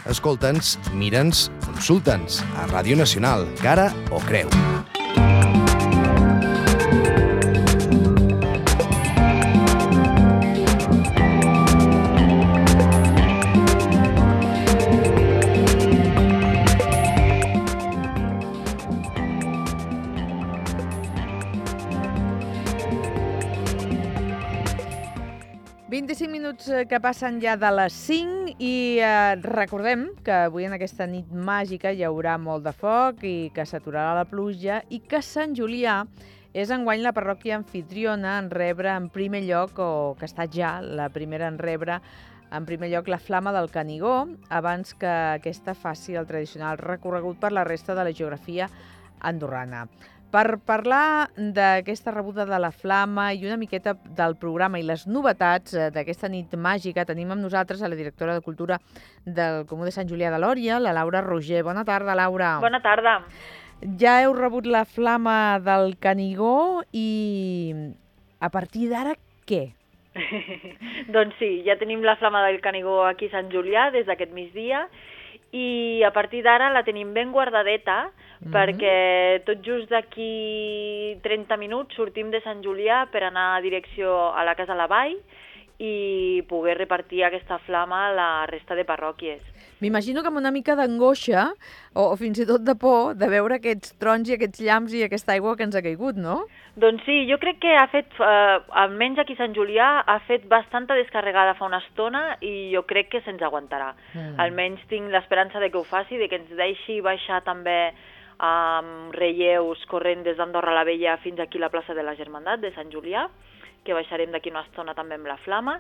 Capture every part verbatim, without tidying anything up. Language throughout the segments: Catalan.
Escolta'ns, mira'ns, consulta'ns a Ràdio Nacional, Cara o Creu. vint-i-cinc minuts que passen ja de les cinc i eh, recordem que avui en aquesta nit màgica hi haurà molt de foc i que s'aturarà la pluja i que Sant Julià és enguany la parròquia anfitriona en rebre en primer lloc, o que ha estat ja la primera en rebre en primer lloc la Flama del Canigó, abans que aquesta faci el tradicional recorregut per la resta de la geografia andorrana. Per parlar d'aquesta rebuda de la Flama i una miqueta del programa i les novetats d'aquesta nit màgica, tenim amb nosaltres a la directora de Cultura del Comú de Sant Julià de Lòria, la Laura Roger. Bona tarda, Laura. Bona tarda. Ja heu rebut la Flama del Canigó i a partir d'ara què? Doncs sí, ja tenim la Flama del Canigó aquí a Sant Julià des d'aquest migdia i a partir d'ara la tenim ben guardadeta, Mm-hmm. perquè tot just d'aquí trenta minuts sortim de Sant Julià per anar a direcció a la Casa la Vall i poder repartir aquesta flama a la resta de parròquies. M'imagino que amb una mica d'angoixa o, o fins i tot de por de veure aquests trons i aquests llamps i aquesta aigua que ens ha caigut, no? Doncs sí, jo crec que ha fet, eh, almenys aquí a Sant Julià, ha fet bastanta descarregada fa una estona i jo crec que se'ns aguantarà. Mm. Almenys tinc l'esperança de que ho faci, de que ens deixi baixar també amb relleus corrent des d'Andorra la Vella fins aquí a la plaça de la Germandat de Sant Julià, que baixarem d'aquí una estona també amb la Flama,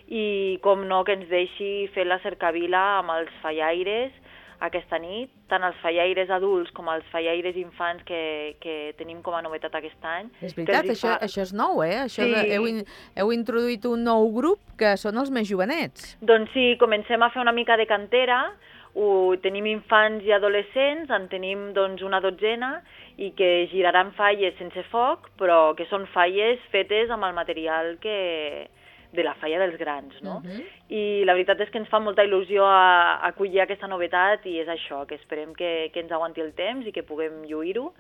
i com no que ens deixi fer la cercavila amb els fallaires aquesta nit, tant els fallaires adults com els fallaires infants que, que tenim com a novetat aquest any. És veritat, això, fa... això és nou, eh? Això sí. de, heu, in, heu introduït un nou grup que són els més jovenets. Doncs sí, comencem a fer una mica de cantera. Ho, tenim infants i adolescents, en tenim doncs, una dotzena i que giraran falles sense foc, però que són falles fetes amb el material que de la falla dels grans, no? Uh-huh. I la veritat és que ens fa molta il·lusió a, a acollir aquesta novetat i és això, que esperem que, que ens aguanti el temps i que puguem lluir-ho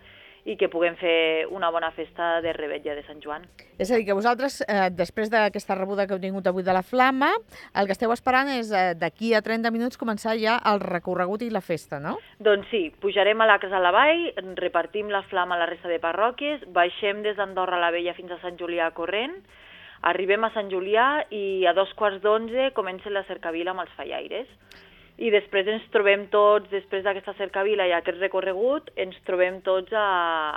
i que puguem fer una bona festa de revetlla de Sant Joan. És a dir, que vosaltres, eh, després d'aquesta rebuda que heu tingut avui de la Flama, el que esteu esperant és eh, d'aquí a trenta minuts començar ja el recorregut i la festa, no? Doncs sí, pujarem a la Casa la Vall, repartim la Flama a la resta de parròquies, baixem des d'Andorra la Vella fins a Sant Julià corrent, arribem a Sant Julià i a dos quarts d'onze comença la cercavila amb els fallaires. I després ens trobem tots, després d'aquesta cercavila i aquest recorregut, ens trobem tots a,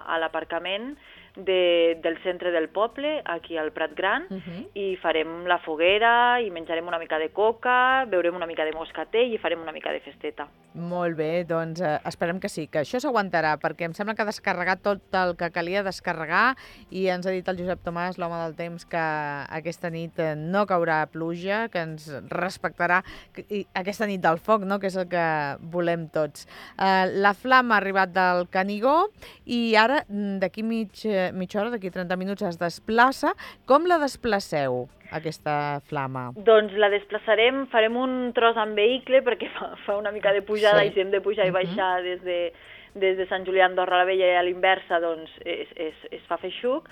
a l'aparcament de, del centre del poble, aquí al Prat Gran, uh-huh. i farem la foguera, i menjarem una mica de coca, beurem una mica de moscatell i farem una mica de festeta. Molt bé, doncs eh, esperem que sí, que això s'aguantarà, perquè em sembla que ha descarregat tot el que calia descarregar i ens ha dit el Josep Tomàs, l'home del temps, que aquesta nit no caurà pluja, que ens respectarà i aquesta nit del foc, no?, que és el que volem tots. Eh, la Flama ha arribat del Canigó i ara, d'aquí mig mitja hora, d'aquí trenta minuts, es desplaça. Com la desplaceu, aquesta Flama? Doncs la desplaçarem, farem un tros en vehicle, perquè fa, fa una mica de pujada, sí. I si hem de pujar i baixar uh-huh. des, de, des de Sant Julià a Andorra la Vella i a l'inversa, doncs es, es, es fa feixuc,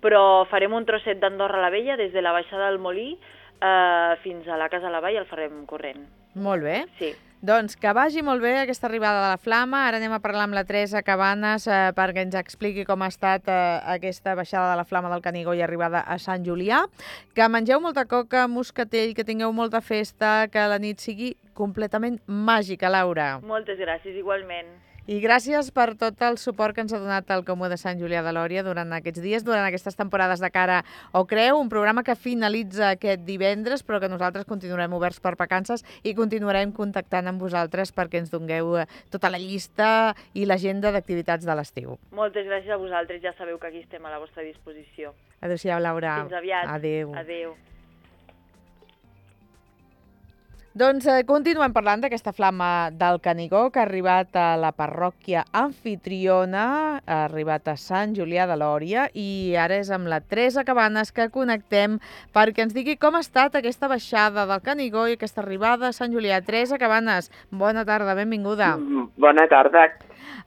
però farem un trosset d'Andorra la Vella, des de la baixada del Molí eh, fins a la Casa la Vall, el farem corrent. Molt bé. Sí. Doncs que vagi molt bé aquesta arribada de la Flama. Ara anem a parlar amb la Teresa Cabanes eh, perquè ens expliqui com ha estat eh, aquesta baixada de la Flama del Canigó i arribada a Sant Julià. Que mengeu molta coca, moscatell, que tingueu molta festa, que la nit sigui completament màgica, Laura. Moltes gràcies, igualment. I gràcies per tot el suport que ens ha donat el Comú de Sant Julià de Lòria durant aquests dies, durant aquestes temporades de Cara o Creu, un programa que finalitza aquest divendres, però que nosaltres continuarem oberts per vacances i continuarem contactant amb vosaltres perquè ens dongueu tota la llista i l'agenda d'activitats de l'estiu. Moltes gràcies a vosaltres, ja sabeu que aquí estem a la vostra disposició. Adéu-siau, Laura. Fins aviat. Adéu. Adéu. Doncs eh, continuem parlant d'aquesta flama del Canigó que ha arribat a la parròquia Amfitriona, ha arribat a Sant Julià de Lòria i ara és amb la Teresa Cabanes que connectem perquè ens digui com ha estat aquesta baixada del Canigó i aquesta arribada a Sant Julià. Teresa Cabanes, bona tarda, benvinguda. Bona tarda.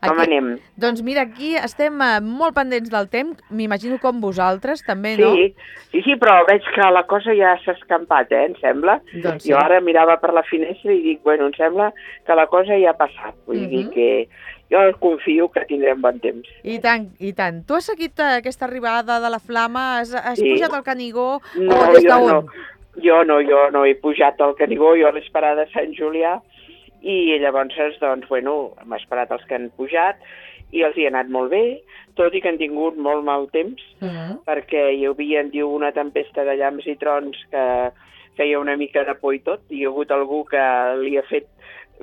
Com Aquí, anem? Doncs mira, aquí estem eh, molt pendents del temps, m'imagino com vosaltres també, no? Sí, sí, sí, però veig que la cosa ja s'ha escampat, eh, em sembla. Doncs sí. Jo ara mirava per la finestra i dic, bueno, em sembla que la cosa ja ha passat. Vull uh-huh. dir que jo confio que tindrem bon temps. I tant, i tant. Tu has seguit aquesta arribada de la flama? Has, has sí. pujat al Canigó? No, o des jo d'on? no. Jo no, jo no he pujat al Canigó, jo l'he esperat a Sant Julià i llavors, doncs, bueno, hem esperat els que han pujat i els hi ha anat molt bé, tot i que han tingut molt mal temps, uh-huh. perquè hi havia, diu, una tempesta de llamps i trons que feia una mica de por i tot, i hi ha hagut algú que li ha fet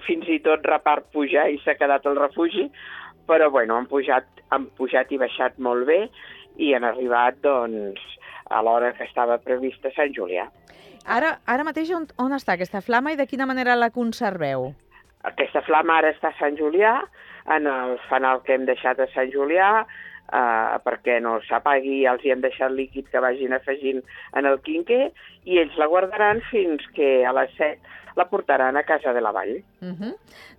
fins i tot repart pujar i s'ha quedat al refugi, però, bueno, han pujat, han pujat i baixat molt bé i han arribat, doncs, a l'hora que estava prevista a Sant Julià. Ara, ara mateix on, on està aquesta flama i de quina manera la conserveu? Aquesta flama ara està a Sant Julià, en el fanal que hem deixat a Sant Julià, eh, perquè no s'apagui, els hi hem deixat líquid que vagin afegint en el quinquer, i ells la guardaran fins que a les set la portaran a Casa de la Vall. Uh-huh.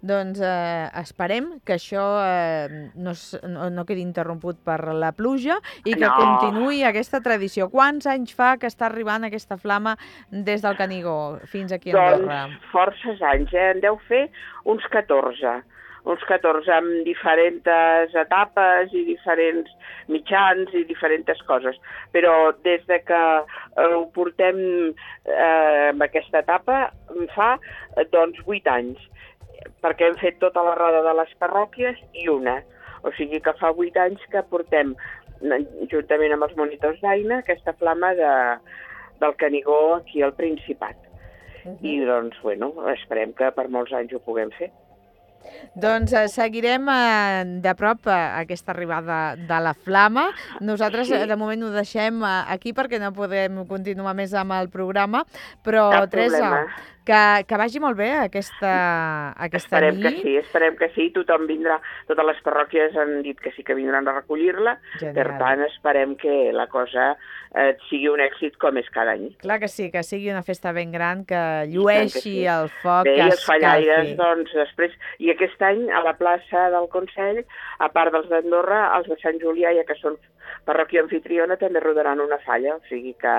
Doncs eh, esperem que això eh, no, no, no quedi interromput per la pluja i que no. continuï aquesta tradició. Quants anys fa que està arribant aquesta flama des del Canigó fins aquí a Andorra? Doncs forces anys, eh? En deu fer uns catorze. Uns catorze amb diferents etapes i diferents mitjans i diferents coses. Però des de que eh, ho portem eh, en aquesta etapa fa doncs vuit anys, perquè hem fet tota la roda de les parròquies i una. O sigui que fa vuit anys que portem, juntament amb els monitors d'Aina, aquesta flama de, del Canigó aquí al Principat. Uh-huh. I doncs, bueno, esperem que per molts anys ho puguem fer. Doncs eh, seguirem eh, de prop eh, aquesta arribada de la flama. Nosaltres sí. eh, de moment ho deixem eh, aquí perquè no podem continuar més amb el programa, però Cap Teresa, problema. que, que vagi molt bé aquesta, aquesta esperem nit. Que sí, esperem que sí, tothom vindrà, totes les parròquies han dit que sí que vindran a recollir-la, Genial. Per tant esperem que la cosa eh, sigui un èxit com és cada any. Clar que sí, que sigui una festa ben gran, que llueixi sí. el foc, bé, que els fallaires, escalfi. doncs, després, i aquest any a la plaça del Consell, a part dels d'Andorra, els de Sant Julià, ja que són parròquia Amfitriona, també rodaran una falla, o sigui que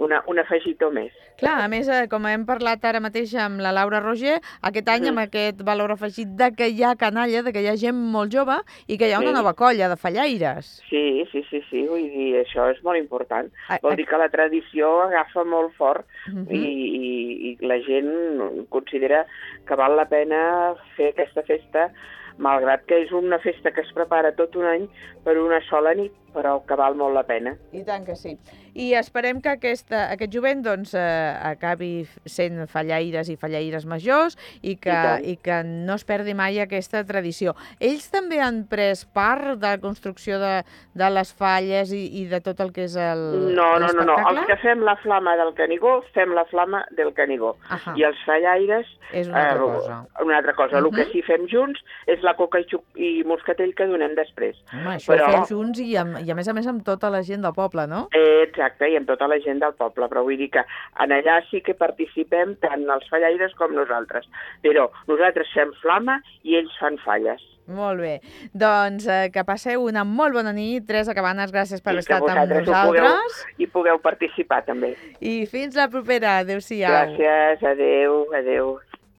una, un afegitó més. Clar, a més, eh, com hem parlat ara mateix amb la Laura Roger, aquest any mm. amb aquest valor afegit de que hi ha canalla, de que hi ha gent molt jove i que hi ha una sí. nova colla de fallaires. Sí, sí, sí, sí, vull dir, això és molt important. A, Vol a... dir que la tradició agafa molt fort uh-huh. i, i, i la gent considera que val la pena fer aquesta festa, malgrat que és una festa que es prepara tot un any per una sola nit, però que val molt la pena. I tant que sí. I esperem que aquesta, aquest jovent doncs, eh, acabi sent fallaires i fallaires majors i que, I, i que no es perdi mai aquesta tradició. Ells també han pres part de la construcció de, de les falles i, i de tot el que és el No, no, no, no. Els no. que fem la flama del Canigó, fem la flama del Canigó. Ahà. I els fallaires... És una altra eh, cosa. Una altra cosa. Uh-huh. El que sí fem junts és la coca i, xuc, i moscatell que donem després. Home, això Però... ho feu junts i, amb, i a més a més amb tota la gent del poble, no? Eh, exacte, i amb tota la gent del poble, però vull dir que en allà sí que participem tant els fallaires com nosaltres. Però nosaltres fem flama i ells fan falles. Molt bé. Doncs eh, que passeu una molt bona nit. Teresa Cabanes, gràcies per haver estat amb nosaltres. Pugueu, I pugueu participar també. I fins la propera. Adéu-siau. Gràcies, adéu, adéu.